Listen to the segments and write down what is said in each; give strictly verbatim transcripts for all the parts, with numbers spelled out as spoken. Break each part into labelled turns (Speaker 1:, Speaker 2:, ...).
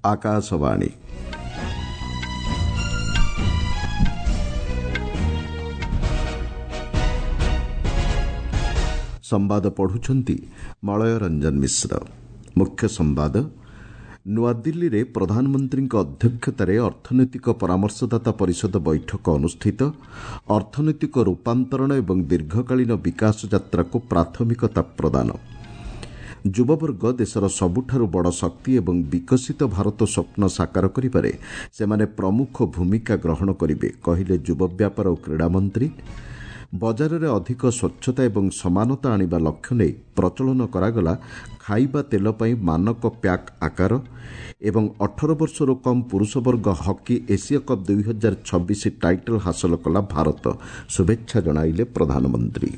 Speaker 1: ଆକାଶବାଣୀ। ସମ୍ବାଦ ପଢୁଛନ୍ତି ମଳୟ ରଞ୍ଜନ ମିଶ୍ର। ମୁଖ୍ୟ ସମ୍ବାଦ। ନୂଆଦିଲ୍ଲୀରେ ପ୍ରଧାନମନ୍ତ୍ରୀଙ୍କ ଅଧ୍ୟକ୍ଷତାରେ ଅର୍ଥନୈତିକ ପରାମର୍ଶଦାତା ପରିଷଦ ବୈଠକ ଅନୁଷ୍ଠିତ। ଅର୍ଥନୈତିକ ରୂପାନ୍ତରଣ ଏବଂ ଦୀର୍ଘକାଳୀନ ବିକାଶ ଯାତ୍ରାକୁ ପ୍ରାଥମିକତା ପ୍ରଦାନ। ଯୁବବର୍ଗ ଦେଶର ସବୁଠାରୁ ବଡ଼ ଶକ୍ତି ଏବଂ ବିକଶିତ ଭାରତ ସ୍ୱପ୍ନ ସାକାର କରିବାରେ ସେମାନେ ପ୍ରମୁଖ ଭୂମିକା ଗ୍ରହଣ କରିବେ, କହିଲେ ଯୁବ ବ୍ୟାପାର ଓ କ୍ରୀଡ଼ା ମନ୍ତ୍ରୀ। ବଜାରରେ ଅଧିକ ସ୍ୱଚ୍ଛତା ଏବଂ ସମାନତା ଆଣିବା ଲକ୍ଷ୍ୟ ନେଇ ପ୍ରଚଳନ କରାଗଲା ଖାଇବା ତେଲ ପାଇଁ ମାନକ ପ୍ୟାକ୍ ଆକାର। ଏବଂ ଅଠର ବର୍ଷରୁ କମ୍ ପୁରୁଷ ବର୍ଗ ହକି ଏସୀୟ କପ୍ ଦୁଇ ହଜାର ଛବିଶ ଟାଇଟଲ୍ ହାସଲ କଲା ଭାରତ, ଶୁଭେଚ୍ଛା ଜଣାଇଲେ ପ୍ରଧାନମନ୍ତ୍ରୀ।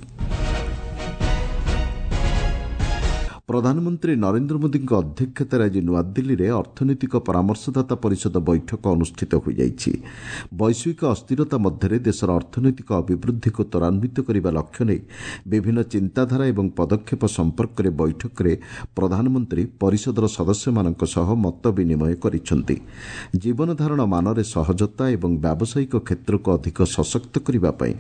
Speaker 1: ପ୍ରଧାନମନ୍ତ୍ରୀ ନରେନ୍ଦ୍ର ମୋଦିଙ୍କ ଅଧ୍ୟକ୍ଷତାରେ ଆଜି ନୂଆଦିଲ୍ଲୀରେ ଅର୍ଥନୈତିକ ପରାମର୍ଶଦାତା ପରିଷଦ ବୈଠକ ଅନୁଷ୍ଠିତ ହୋଇଯାଇଛି। ବୈଶ୍ୱିକ ଅସ୍ଥିରତା ମଧ୍ୟରେ ଦେଶର ଅର୍ଥନୈତିକ ଅଭିବୃଦ୍ଧିକୁ ତ୍ୱରାନ୍ୱିତ କରିବା ଲକ୍ଷ୍ୟ ନେଇ ବିଭିନ୍ନ ଚିନ୍ତାଧାରା ଏବଂ ପଦକ୍ଷେପ ସମ୍ପର୍କରେ ବୈଠକରେ ପ୍ରଧାନମନ୍ତ୍ରୀ ପରିଷଦର ସଦସ୍ୟମାନଙ୍କ ସହ ମତ ବିନିମୟ କରିଛନ୍ତି। ଜୀବନଧାରଣ ମାନରେ ସହଜତା ଏବଂ ବ୍ୟାବସାୟିକ କ୍ଷେତ୍ରକୁ ଅଧିକ ସଶକ୍ତ କରିବା ପାଇଁ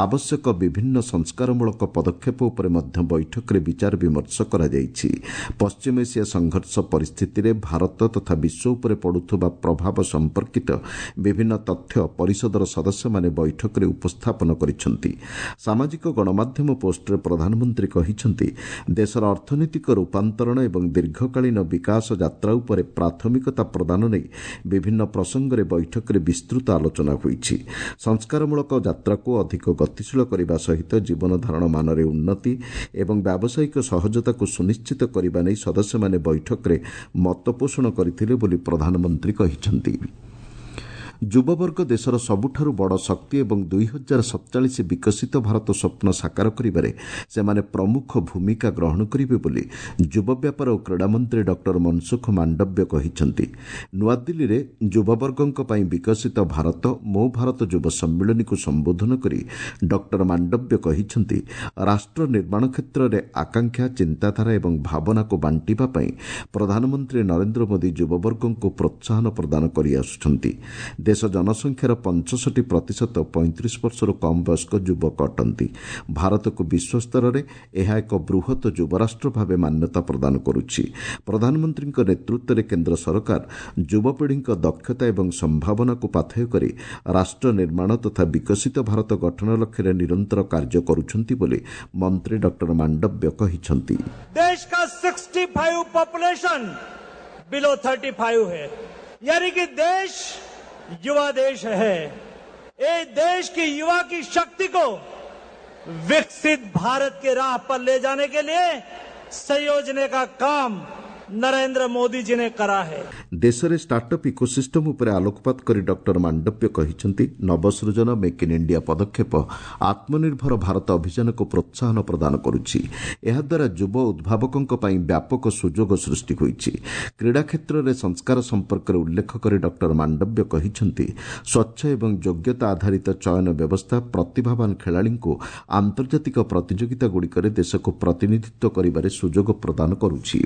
Speaker 1: ଆବଶ୍ୟକ ବିଭିନ୍ନ ସଂସ୍କାରମୂଳକ ପଦକ୍ଷେପ ଉପରେ ମଧ୍ୟ ବୈଠକରେ ବିଚାର ବିମର୍ଶ କରାଯାଇଛି। ପଶ୍ଚିମ ଏସିଆ ସଂଘର୍ଷ ପରିସ୍ଥିତିରେ ଭାରତ ତଥା ବିଶ୍ୱ ଉପରେ ପଡୁଥିବା ପ୍ରଭାବ ସମ୍ପର୍କିତ ବିଭିନ୍ନ ତଥ୍ୟ ପରିଷଦର ସଦସ୍ୟମାନେ ବୈଠକରେ ଉପସ୍ଥାପନ କରିଛନ୍ତି। ସାମାଜିକ ଗଣମାଧ୍ୟମ ପୋଷ୍ଟରେ ପ୍ରଧାନମନ୍ତ୍ରୀ କହିଛନ୍ତି, ଦେଶର ଅର୍ଥନୈତିକ ରୂପାନ୍ତରଣ ଏବଂ ଦୀର୍ଘକାଳୀନ ବିକାଶ ଯାତ୍ରା ଉପରେ ପ୍ରାଥମିକତା ପ୍ରଦାନ ନେଇ ବିଭିନ୍ନ ପ୍ରସଙ୍ଗରେ ବୈଠକରେ ବିସ୍ତୃତ ଆଲୋଚନା ହୋଇଛି। ସଂସ୍କାରମୂଳକ ଯାତ୍ରାକୁ ଅଧିକ ଗତିଶୀଳ କରିବା ସହିତ ଜୀବନଧାରଣ ମାନରେ ଉନ୍ନତି ଏବଂ ବ୍ୟାବସାୟିକ ସହଜତାକୁ ସୁନିଶ୍ଚିତ କରିବା ନେଇ ସଦସ୍ୟମାନେ ବୈଠକରେ ମତପୋଷଣ କରିଥିଲେ ବୋଲି ପ୍ରଧାନମନ୍ତ୍ରୀ କହିଛନ୍ତି। ଯୁବବର୍ଗ ଦେଶର ସବୁଠାରୁ ବଡ଼ ଶକ୍ତି ଏବଂ ଦୁଇ ହଜାର ସତଚାଳିଶ ବିକଶିତ ଭାରତ ସ୍ୱପ୍ନ ସାକାର କରିବାରେ ସେମାନେ ପ୍ରମୁଖ ଭୂମିକା ଗ୍ରହଣ କରିବେ ବୋଲି ଯୁବ ବ୍ୟାପାର ଓ କ୍ରୀଡ଼ାମନ୍ତ୍ରୀ ଡକ୍ଟର ମନସୁଖ ମାଣ୍ଡବ୍ୟ କହିଛନ୍ତି। ନୂଆଦିଲ୍ଲୀରେ ଯୁବବର୍ଗଙ୍କ ପାଇଁ ବିକଶିତ ଭାରତ ମୋ ଭାରତ ଯୁବ ସମ୍ମିଳନୀକୁ ସମ୍ବୋଧନ କରି ଡକ୍ଟର ମାଣ୍ଡବ୍ୟ କହିଛନ୍ତି, ରାଷ୍ଟ୍ର ନିର୍ମାଣ କ୍ଷେତ୍ରରେ ଆକାଂକ୍ଷା, ଚିନ୍ତାଧାରା ଏବଂ ଭାବନାକୁ ବାଣ୍ଟିବା ପାଇଁ ପ୍ରଧାନମନ୍ତ୍ରୀ ନରେନ୍ଦ୍ର ମୋଦି ଯୁବବର୍ଗଙ୍କୁ ପ୍ରୋତ୍ସାହନ ପ୍ରଦାନ କରିଆସୁଛନ୍ତି। ଦେଶ ଜନସଂଖ୍ୟାର ପଞ୍ଚଷଠି ପ୍ରତିଶତ ପଇଁତିରିଶ ବର୍ଷରୁ କମ୍ ବୟସ୍କ ଯୁବକ ଅଟନ୍ତି। ଭାରତକୁ ବିଶ୍ୱସ୍ତରରେ ଏହା ଏକ ବୃହତ ଯୁବରାଷ୍ଟ୍ର ଭାବେ ମାନ୍ୟତା ପ୍ରଦାନ କରୁଛି। ପ୍ରଧାନମନ୍ତ୍ରୀଙ୍କ ନେତୃତ୍ୱରେ କେନ୍ଦ୍ର ସରକାର ଯୁବପିଢ଼ିଙ୍କ ଦକ୍ଷତା ଏବଂ ସମ୍ଭାବନାକୁ ପାଥେୟ କରି ରାଷ୍ଟ୍ର ନିର୍ମାଣ ତଥା ବିକଶିତ ଭାରତ ଗଠନ ଲକ୍ଷ୍ୟରେ ନିରନ୍ତର କାର୍ଯ୍ୟ କରୁଛନ୍ତି ବୋଲି ମନ୍ତ୍ରୀ ଡକ୍ଟର ମାଣ୍ଡବ୍ୟ କହିଛନ୍ତି।
Speaker 2: देश का पैंसठ पॉपुलेशन बिलो पैंतीस है, यानी कि देश युवा देश है। ये देश की युवा की शक्ति को विकसित भारत के राह पर ले जाने के लिए संयोजने का काम नरेंद्र मोदी जी ने करा है।
Speaker 1: ଦେଶରେ ଷ୍ଟାର୍ଟଅପ୍ ଇକୋସିଷ୍ଟମ୍ ଉପରେ ଆଲୋକପାତ କରି ଡକ୍ଟର ମାଣ୍ଡବ୍ୟ କହିଛନ୍ତି, ନବସୃଜନ ମେକ୍ ଇନ୍ ଇଣ୍ଡିଆ ପଦକ୍ଷେପ ଆତ୍ମନିର୍ଭର ଭାରତ ଅଭିଯାନକୁ ପ୍ରୋତ୍ସାହନ ପ୍ରଦାନ କରୁଛି। ଏହାଦ୍ୱାରା ଯୁବ ଉଦ୍ଭାବକଙ୍କ ପାଇଁ ବ୍ୟାପକ ସୁଯୋଗ ସୃଷ୍ଟି ହୋଇଛି। କ୍ରୀଡ଼ା କ୍ଷେତ୍ରରେ ସଂସ୍କାର ସମ୍ପର୍କରେ ଉଲ୍ଲେଖ କରି ଡକ୍ଟର ମାଣ୍ଡବ୍ୟ କହିଛନ୍ତି, ସ୍ୱଚ୍ଛ ଏବଂ ଯୋଗ୍ୟତା ଆଧାରିତ ଚୟନ ବ୍ୟବସ୍ଥା ପ୍ରତିଭାବାନ ଖେଳାଳିଙ୍କୁ ଆନ୍ତର୍ଜାତିକ ପ୍ରତିଯୋଗିତାଗୁଡ଼ିକରେ ଦେଶକୁ ପ୍ରତିନିଧିତ୍ୱ କରିବାରେ ସୁଯୋଗ ପ୍ରଦାନ କରୁଛି।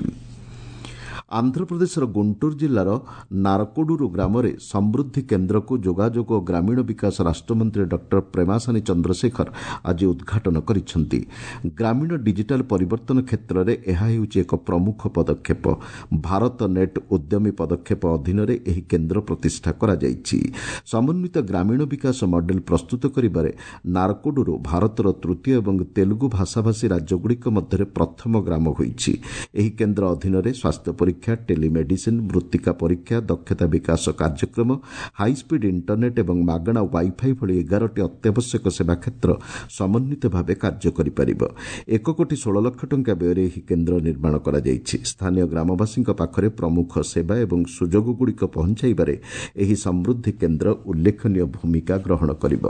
Speaker 1: ଆନ୍ଧ୍ରପ୍ରଦେଶର ଗୁଣ୍ଟୁର ଜିଲ୍ଲାର ନାରକୋଡୁରୁ ଗ୍ରାମରେ ସମୃଦ୍ଧି କେନ୍ଦ୍ରକୁ ଯୋଗାଯୋଗ ଓ ଗ୍ରାମୀଣ ବିକାଶ ରାଷ୍ଟ୍ରମନ୍ତ୍ରୀ ଡକ୍ଟର ପ୍ରେମାସାନୀ ଚନ୍ଦ୍ରଶେଖର ଆଜି ଉଦ୍ଘାଟନ କରିଛନ୍ତି। ଗ୍ରାମୀଣ ଡିଜିଟାଲ ପରିବର୍ତ୍ତନ କ୍ଷେତ୍ରରେ ଏହା ହେଉଛି ଏକ ପ୍ରମୁଖ ପଦକ୍ଷେପ। ଭାରତ ନେଟ୍ ଉଦ୍ୟମୀ ପଦକ୍ଷେପ ଅଧୀନରେ ଏହି କେନ୍ଦ୍ର ପ୍ରତିଷ୍ଠା କରାଯାଇଛି। ସମନ୍ୱିତ ଗ୍ରାମୀଣ ବିକାଶ ମଡେଲ ପ୍ରସ୍ତୁତ କରିବାରେ ନାରକୋଡୁରୁ ଭାରତର ତୃତୀୟ ଏବଂ ତେଲୁଗୁ ଭାଷାଭାଷୀ ରାଜ୍ୟଗୁଡ଼ିକ ମଧ୍ୟରେ ପ୍ରଥମ ଗ୍ରାମ ହୋଇଛି। ଏହି କେନ୍ଦ୍ର ଅଧୀନରେ ସ୍ୱାସ୍ଥ୍ୟ ପରୀକ୍ଷା, ଟେଲିମେଡିସିନ୍, ମୃତ୍ତିକା ପରୀକ୍ଷା, ଦକ୍ଷତା ବିକାଶ କାର୍ଯ୍ୟକ୍ରମ, ହାଇସ୍ପିଡ୍ ଇଣ୍ଟରନେଟ୍ ଏବଂ ମାଗଣା ୱାଇଫାଇ ଭଳି ଏଗାରଟି ଅତ୍ୟାବଶ୍ୟକ ସେବା କ୍ଷେତ୍ର ସମନ୍ୱିତ ଭାବେ କାର୍ଯ୍ୟ କରିପାରିବ। ଏକ କୋଟି ଷୋହଳ ଲକ୍ଷ ଟଙ୍କା ବ୍ୟୟରେ ଏହି କେନ୍ଦ୍ର ନିର୍ମାଣ କରାଯାଇଛି। ସ୍ଥାନୀୟ ଗ୍ରାମବାସୀଙ୍କ ପାଖରେ ପ୍ରମୁଖ ସେବା ଏବଂ ସୁଯୋଗଗୁଡ଼ିକ ପହଞ୍ଚାଇବାରେ ଏହି ସମୃଦ୍ଧି କେନ୍ଦ୍ର ଉଲ୍ଲେଖନୀୟ ଭୂମିକା ଗ୍ରହଣ କରିବ।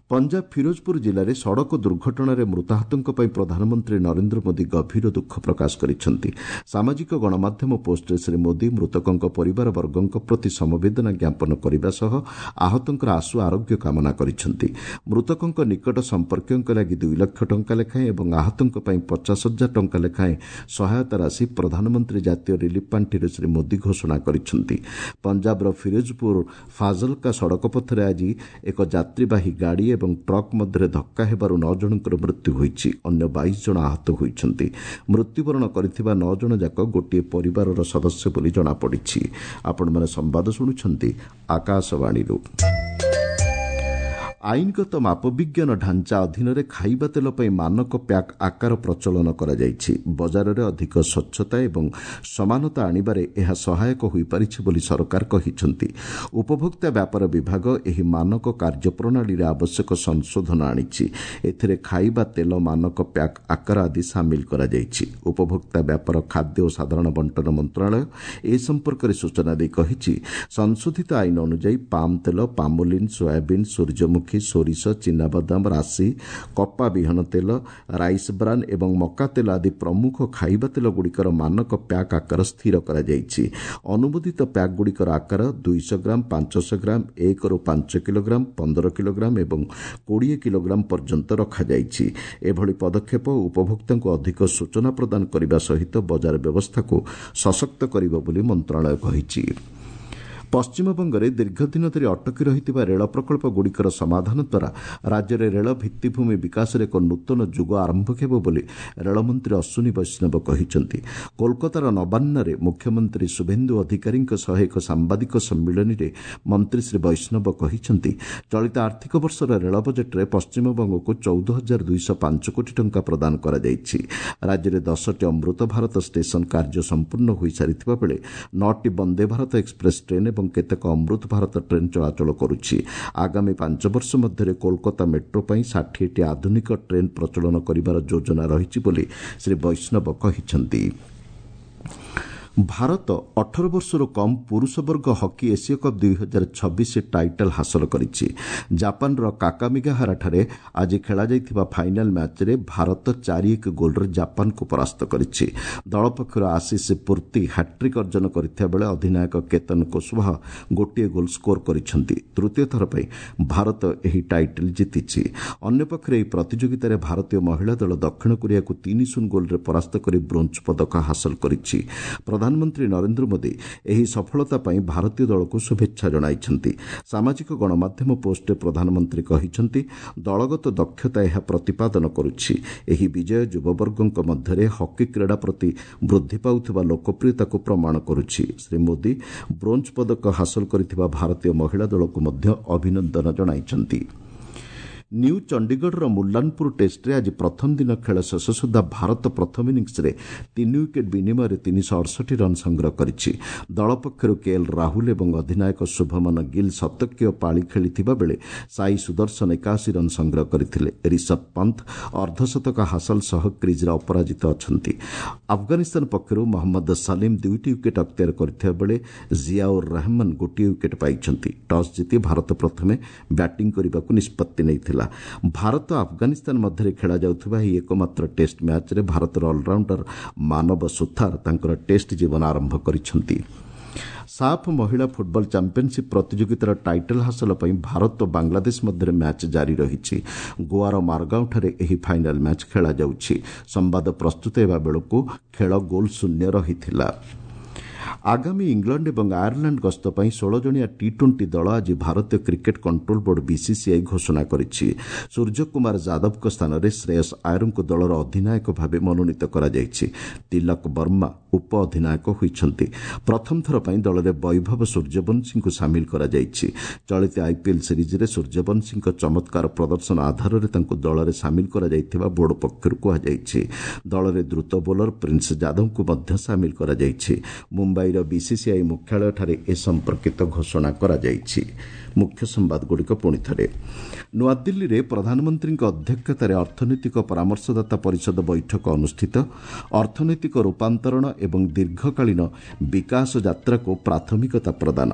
Speaker 1: ପଞ୍ଜାବ ଫିରୋଜପୁର ଜିଲ୍ଲାରେ ସଡ଼କ ଦୁର୍ଘଟଣାରେ ମୃତାହତଙ୍କ ପାଇଁ ପ୍ରଧାନମନ୍ତ୍ରୀ ନରେନ୍ଦ୍ର ମୋଦି ଗଭୀର ଦୁଃଖ ପ୍ରକାଶ କରିଛନ୍ତି। ସାମାଜିକ ଗଣମାଧ୍ୟମ ପୋଷ୍ଟରେ ଶ୍ରୀ ମୋଦି ମୃତକଙ୍କ ପରିବାରବର୍ଗଙ୍କ ପ୍ରତି ସମବେଦନା ଜ୍ଞାପନ କରିବା ସହ ଆହତଙ୍କର ଆଶୁ ଆରୋଗ୍ୟ କାମନା କରିଛନ୍ତି। ମୃତକଙ୍କ ନିକଟ ସମ୍ପର୍କୀୟଙ୍କ ଲାଗି ଦୁଇ ଲକ୍ଷ ଟଙ୍କା ଲେଖାଏଁ ଏବଂ ଆହତଙ୍କ ପାଇଁ ପଚାଶ ହଜାର ଟଙ୍କା ଲେଖାଏଁ ସହାୟତା ରାଶି ପ୍ରଧାନମନ୍ତ୍ରୀ ଜାତୀୟ ରିଲିଫ୍ ପାଣ୍ଠିରୁ ଶ୍ରୀ ମୋଦି ଘୋଷଣା କରିଛନ୍ତି। ପଞ୍ଜାବର ଫିରୋଜପୁର ଫାଜଲକା ସଡ଼କ ପଥରେ ଆଜି ଏକ ଯାତ୍ରୀବାହୀ ଗାଡ଼ି ଏବଂ ଟ୍ରକ୍ ମଧ୍ୟରେ ଧକ୍କା ହେବାରୁ ନଅ ଜଣଙ୍କର ମୃତ୍ୟୁ ହୋଇଛି। ଅନ୍ୟ ବାଇଶ ଜଣ ଆହତ ହୋଇଛନ୍ତି। ମୃତ୍ୟୁବରଣ କରିଥିବା ନଅ ଜଣ ଯାକ ଗୋଟିଏ ପରିବାରର ସଦସ୍ୟ ବୋଲି ଜଣାପଡ଼ିଛି। ଆପଣମାନେ ସମ୍ବାଦ ଶୁଣୁଛନ୍ତି ଆକାଶବାଣୀରୁ। ଆଇନଗତ ମାପବିଜ୍ଞାନ ଢାଞ୍ଚା ଅଧୀନରେ ଖାଇବା ତେଲ ପାଇଁ ମାନକ ପ୍ୟାକ୍ ଆକାର ପ୍ରଚଳନ କରାଯାଇଛି। ବଜାରରେ ଅଧିକ ସ୍ୱଚ୍ଛତା ଏବଂ ସମାନତା ଆଣିବାରେ ଏହା ସହାୟକ ହୋଇପାରିଛି ବୋଲି ସରକାର କହିଛନ୍ତି। ଉପଭୋକ୍ତା ବ୍ୟାପାର ବିଭାଗ ଏହି ମାନକ କାର୍ଯ୍ୟପ୍ରଣାଳୀରେ ଆବଶ୍ୟକ ସଂଶୋଧନ ଆଣିଛି। ଏଥିରେ ଖାଇବା ତେଲ ମାନକ ପ୍ୟାକ୍ ଆକାର ଆଦି ସାମିଲ କରାଯାଇଛି। ଉପଭୋକ୍ତା ବ୍ୟାପାର, ଖାଦ୍ୟ ଓ ସାଧାରଣ ବଣ୍ଟନ ମନ୍ତ୍ରଣାଳୟ ଏ ସମ୍ପର୍କରେ ସୂଚନା ଦେଇ କହିଛି, ସଂଶୋଧିତ ଆଇନ ଅନୁଯାୟୀ ପାମ୍ ତେଲ, ପାମୋଲିନ୍, ସୋୟାବିନ୍, ସୂର୍ଯ୍ୟମୁଖୀ, ସୋରିଷ, ଚିନାବାଦାମ, ରାଶି, କପା ବିହନ ତେଲ, ରାଇସ୍ ବ୍ରାନ୍ ଏବଂ ମକା ତେଲ ଆଦି ପ୍ରମୁଖ ଖାଇବା ତେଲଗୁଡ଼ିକର ମାନକ ପ୍ୟାକ୍ ଆକାର ସ୍ଥିର କରାଯାଇଛି। ଅନୁମୋଦିତ ପ୍ୟାକ୍ଗୁଡ଼ିକର ଆକାର ଦୁଇଶହ ଗ୍ରାମ, ପାଞ୍ଚଶହ ଗ୍ରାମ, ଏକରୁ ପାଞ୍ଚ କିଲୋଗ୍ରାମ, ପନ୍ଦର କିଲୋଗ୍ରାମ ଏବଂ କୋଡ଼ିଏ କିଲୋଗ୍ରାମ ପର୍ଯ୍ୟନ୍ତ ରଖାଯାଇଛି। ଏଭଳି ପଦକ୍ଷେପ ଉପଭୋକ୍ତାଙ୍କୁ ଅଧିକ ସୂଚନା ପ୍ରଦାନ କରିବା ସହିତ ବଜାର ବ୍ୟବସ୍ଥାକୁ ସଶକ୍ତ କରିବ ବୋଲି ମନ୍ତ୍ରଣାଳୟ କହିଛି। ପଶ୍ଚିମବଙ୍ଗରେ ଦୀର୍ଘଦିନ ଧରି ଅଟକି ରହିଥିବା ରେଳ ପ୍ରକଳ୍ପଗୁଡ଼ିକର ସମାଧାନ ଦ୍ୱାରା ରାଜ୍ୟରେ ରେଳ ଭିତ୍ତିଭୂମି ବିକାଶରେ ଏକ ନୂତନ ଯୁଗ ଆରମ୍ଭ ହେବ ବୋଲି ରେଳମନ୍ତ୍ରୀ ଅଶ୍ୱିନୀ ବୈଷ୍ଣବ କହିଛନ୍ତି। କୋଲକାତାର ନବାନ୍ନରେ ମୁଖ୍ୟମନ୍ତ୍ରୀ ଶୁଭେନ୍ଦୁ ଅଧିକାରୀଙ୍କ ସହ ଏକ ସାମ୍ବାଦିକ ସମ୍ମିଳନୀରେ ମନ୍ତ୍ରୀ ଶ୍ରୀ ବୈଷ୍ଣବ କହିଛନ୍ତି, ଚଳିତ ଆର୍ଥିକ ବର୍ଷର ରେଳ ବଜେଟ୍ରେ ପଶ୍ଚିମବଙ୍ଗକୁ ଚଉଦ ହଜାର ଦୁଇଶହ ପାଞ୍ଚ କୋଟି ଟଙ୍କା ପ୍ରଦାନ କରାଯାଇଛି। ରାଜ୍ୟରେ ଦଶଟି ଅମୃତ ଭାରତ ଷ୍ଟେସନ କାର୍ଯ୍ୟ ସମ୍ପୂର୍ଣ୍ଣ ହୋଇସାରିଥିବା ବେଳେ ନଅଟି ବନ୍ଦେ ଭାରତ ଏକ୍ସପ୍ରେସ୍ ଟ୍ରେନ୍ ଏବଂ କେତେକ ଅମୃତ ଭାରତ ଟ୍ରେନ୍ ଚଳାଚଳ କରୁଛି। ଆଗାମୀ ପାଞ୍ଚ ବର୍ଷ ମଧ୍ୟରେ କୋଲକାତା ମେଟ୍ରୋ ପାଇଁ ଷାଠିଏଟି ଆଧୁନିକ ଟ୍ରେନ୍ ପ୍ରଚଳନ କରିବାର ଯୋଜନା ରହିଛି ବୋଲି ଶ୍ରୀ ବୈଷ୍ଣବ କହିଛନ୍ତି। ଭାରତ ଅଠର ବର୍ଷରୁ କମ୍ ପୁରୁଷ ବର୍ଗ ହକି ଏସୀୟ କପ୍ ଦୁଇ ହଜାର ଛବିଶ ଟାଇଟଲ୍ ହାସଲ କରିଛି। ଜାପାନର କାକାମିଗାହାରାଠାରେ ଆଜି ଖେଳାଯାଇଥିବା ଫାଇନାଲ୍ ମ୍ୟାଚ୍ରେ ଭାରତ ଚାରି ଏକ ଗୋଲ୍ରେ ଜାପାନକୁ ପରାସ୍ତ କରିଛି। ଦଳ ପକ୍ଷରୁ ଆଶିଷ ପୂର୍ତ୍ତି ହ୍ୟାଟ୍ରିକ୍ ଅର୍ଜନ କରିଥିବା ବେଳେ ଅଧିନାୟକ କେତନ କୁଶବାହା ଗୋଟିଏ ଗୋଲ୍ ସ୍କୋର କରିଛନ୍ତି। ତୃତୀୟ ଥର ପାଇଁ ଭାରତ ଏହି ଟାଇଟଲ୍ ଜିତିଛି। ଅନ୍ୟପକ୍ଷରେ ଏହି ପ୍ରତିଯୋଗିତାରେ ଭାରତୀୟ ମହିଳା ଦଳ ଦକ୍ଷିଣ କୋରିଆକୁ ତିନି ଶୂନ ଗୋଲ୍ରେ ପରାସ୍ତ କରି ବ୍ରୋଞ୍ଜ ପଦକ ହାସଲ କରିଛି। ପ୍ରଧାନମନ୍ତ୍ରୀ ନରେନ୍ଦ୍ର ମୋଦି ଏହି ସଫଳତା ପାଇଁ ଭାରତୀୟ ଦଳକୁ ଶୁଭେଚ୍ଛା ଜଣାଇଛନ୍ତି। ସାମାଜିକ ଗଣମାଧ୍ୟମ ପୋଷ୍ଟରେ ପ୍ରଧାନମନ୍ତ୍ରୀ କହିଛନ୍ତି, ଦଳଗତ ଦକ୍ଷତା ଏହା ପ୍ରତିପାଦନ କରୁଛି। ଏହି ବିଜୟ ଯୁବବର୍ଗଙ୍କ ମଧ୍ୟରେ ହକି କ୍ରୀଡ଼ା ପ୍ରତି ବୃଦ୍ଧି ପାଉଥିବା ଲୋକପ୍ରିୟତାକୁ ପ୍ରମାଣ କରୁଛି। ଶ୍ରୀ ମୋଦି ବ୍ରୋଞ୍ଜ ପଦକ ହାସଲ କରିଥିବା ଭାରତୀୟ ମହିଳା ଦଳକୁ ମଧ୍ୟ ଅଭିନନ୍ଦନ ଜଣାଇଛନ୍ତି। ନ୍ୟୁ ଚଣ୍ଡିଗଡ଼ର ମୁଲ୍ଲାନପୁର ଟେଷ୍ଟରେ ଆଜି ପ୍ରଥମ ଦିନ ଖେଳ ଶେଷ ସୁଦ୍ଧା ଭାରତ ପ୍ରଥମ ଇନିଂସରେ ତିନି ୱିକେଟ୍ ବିନିମୟରେ ତିନିଶହ ଅଡ଼ଷଠି ରନ୍ ସଂଗ୍ରହ କରିଛି। ଦଳ ପକ୍ଷରୁ କେଏଲ୍ ରାହୁଲ ଏବଂ ଅଧିନାୟକ ଶୁଭମନ ଗିଲ୍ ଶତକୀୟ ପାଳି ଖେଳିଥିବା ବେଳେ ସାଇ ସୁଦର୍ଶନ ଏକାଅଶୀ ରନ୍ ସଂଗ୍ରହ କରିଥିଲେ। ରିଷଭ ପନ୍ଥ ଅର୍ଦ୍ଧଶତକ ହାସଲ ସହ କ୍ରିଜ୍ରେ ଅପରାଜିତ ଅଛନ୍ତି। ଆଫଗାନିସ୍ତାନ ପକ୍ଷରୁ ମହମ୍ମଦ ସଲିମ୍ ଦୁଇଟି ୱିକେଟ୍ ଅକ୍ତିଆର କରିଥିବା ବେଳେ ଜିଆଉର ରହମାନ ଗୋଟିଏ ୱିକେଟ୍ ପାଇଛନ୍ତି। ଟସ୍ ଜିତି ଭାରତ ପ୍ରଥମେ ବ୍ୟାଟିଂ କରିବାକୁ ନିଷ୍ପତ୍ତି ନେଇଥିଲା। ଭାରତ ଆଫଗାନିସ୍ତାନ ମଧ୍ୟରେ ଖେଳାଯାଉଥିବା ଏହି ଏକମାତ୍ର ଟେଷ୍ଟ ମ୍ୟାଚ୍ରେ ଭାରତର ଅଲରାଉଣ୍ଡର ମାନବ ସୁଥାର ତାଙ୍କର ଟେଷ୍ଟ ଜୀବନ ଆରମ୍ଭ କରିଛନ୍ତି। ସାଫ୍ ମହିଳା ଫୁଟବଲ ଚାମ୍ପିୟନସିପ୍ ପ୍ରତିଯୋଗିତାର ଟାଇଟଲ୍ ହାସଲ ପାଇଁ ଭାରତ ଓ ବାଂଲାଦେଶ ମଧ୍ୟରେ ମ୍ୟାଚ୍ ଜାରି ରହିଛି। ଗୋଆର ମାରଗାଁଓଠାରେ ଏହି ଫାଇନାଲ୍ ମ୍ୟାଚ୍ ଖେଳାଯାଉଛି। ସମ୍ବାଦ ପ୍ରସ୍ତୁତ ହେବା ବେଳକୁ ଖେଳ ଗୋଲ୍ ଶୂନ୍ୟ ରହିଥିଲା। ଆଗାମୀ ଇଂଲଣ୍ଡ ଏବଂ ଆୟାରଲାଣ୍ଡ ଗସ୍ତ ପାଇଁ ଷୋହଳ ଜଣିଆ ଟି ଟ୍ୱେଣ୍ଟି ଦଳ ଆଜି ଭାରତୀୟ କ୍ରିକେଟ୍ କଣ୍ଟ୍ରୋଲ ବୋର୍ଡ ବିସିସିଆଇ ଘୋଷଣା କରିଛି। ସୂର୍ଯ୍ୟକୁମାର ଯାଦବଙ୍କ ସ୍ଥାନରେ ଶ୍ରେୟସ୍ ଆୟରଙ୍କୁ ଦଳର ଅଧିନାୟକ ଭାବେ ମନୋନୀତ କରାଯାଇଛି। ତିଲକ ବର୍ମା ଉପ ଅଧିନାୟକ ହୋଇଛନ୍ତି। ପ୍ରଥମ ଥର ପାଇଁ ଦଳରେ ବୈଭବ ସୂର୍ଯ୍ୟବଂଶୀଙ୍କୁ ସାମିଲ କରାଯାଇଛି। ଚଳିତ ଆଇପିଏଲ୍ ସିରିଜ୍ରେ ସୂର୍ଯ୍ୟବଂଶୀଙ୍କ ଚମତ୍କାର ପ୍ରଦର୍ଶନ ଆଧାରରେ ତାଙ୍କୁ ଦଳରେ ସାମିଲ କରାଯାଇଥିବା ବୋର୍ଡ ପକ୍ଷରୁ କୁହାଯାଇଛି। ଦଳରେ ଦ୍ରୁତ ବୋଲର ପ୍ରିନ୍ସ ଯାଦବଙ୍କୁ ମଧ୍ୟ ସାମିଲ କରାଯାଇଛି। ମୁମ୍ବାଇର ବିସିସିଆଇ ମୁଖ୍ୟାଳୟଠାରେ ଏ ସମ୍ପର୍କିତ ଘୋଷଣା କରାଯାଇଛି। ମୁଖ୍ୟ ସମ୍ବାଦଗୁଡ଼ିକ ପୁଣି ଥରେ। ନୂଆଦିଲ୍ଲୀରେ ପ୍ରଧାନମନ୍ତ୍ରୀଙ୍କ ଅଧ୍ୟକ୍ଷତାରେ ଅର୍ଥନୈତିକ ପରାମର୍ଶଦାତା ପରିଷଦ ବୈଠକ ଅନୁଷ୍ଠିତ। ଅର୍ଥନୈତିକ ରୂପାନ୍ତରଣ ଏବଂ ଦୀର୍ଘକାଳୀନ ବିକାଶ ଯାତ୍ରାକୁ ପ୍ରାଥମିକତା ପ୍ରଦାନ।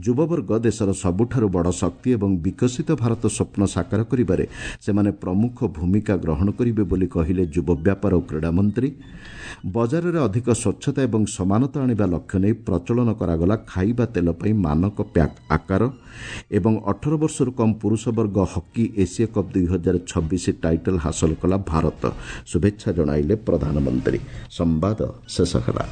Speaker 1: ଯୁବବର୍ଗ ଦେଶର ସବୁଠାରୁ ବଡ଼ ଶକ୍ତି ଏବଂ ବିକଶିତ ଭାରତ ସ୍ୱପ୍ନ ସାକାର କରିବାରେ ସେମାନେ ପ୍ରମୁଖ ଭୂମିକା ଗ୍ରହଣ କରିବେ ବୋଲି କହିଲେ ଯୁବ ବ୍ୟାପାର ଓ କ୍ରୀଡ଼ାମନ୍ତ୍ରୀ। ବଜାରରେ ଅଧିକ ସ୍ୱଚ୍ଛତା ଏବଂ ସମାନତା ଆଣିବା ଲକ୍ଷ୍ୟ ନେଇ ପ୍ରଚଳନ କରାଗଲା ଖାଇବା ତେଲ ପାଇଁ ମାନକ ପ୍ୟାକ୍ ଆକାର। ଏବଂ ଅଠର ବର୍ଷରୁ କମ୍ ପୁରୁଷ ବର୍ଗ ହକି ଏସୀୟ କପ୍ ଦୁଇ ହଜାର ଛବିଶ ଟାଇଟଲ୍ ହାସଲ କଲା ଭାରତ, ଶୁଭେଚ୍ଛା ଜଣାଇଲେ ପ୍ରଧାନମନ୍ତ୍ରୀ। ସମ୍ବାଦ ଶେଷ ହେଲା।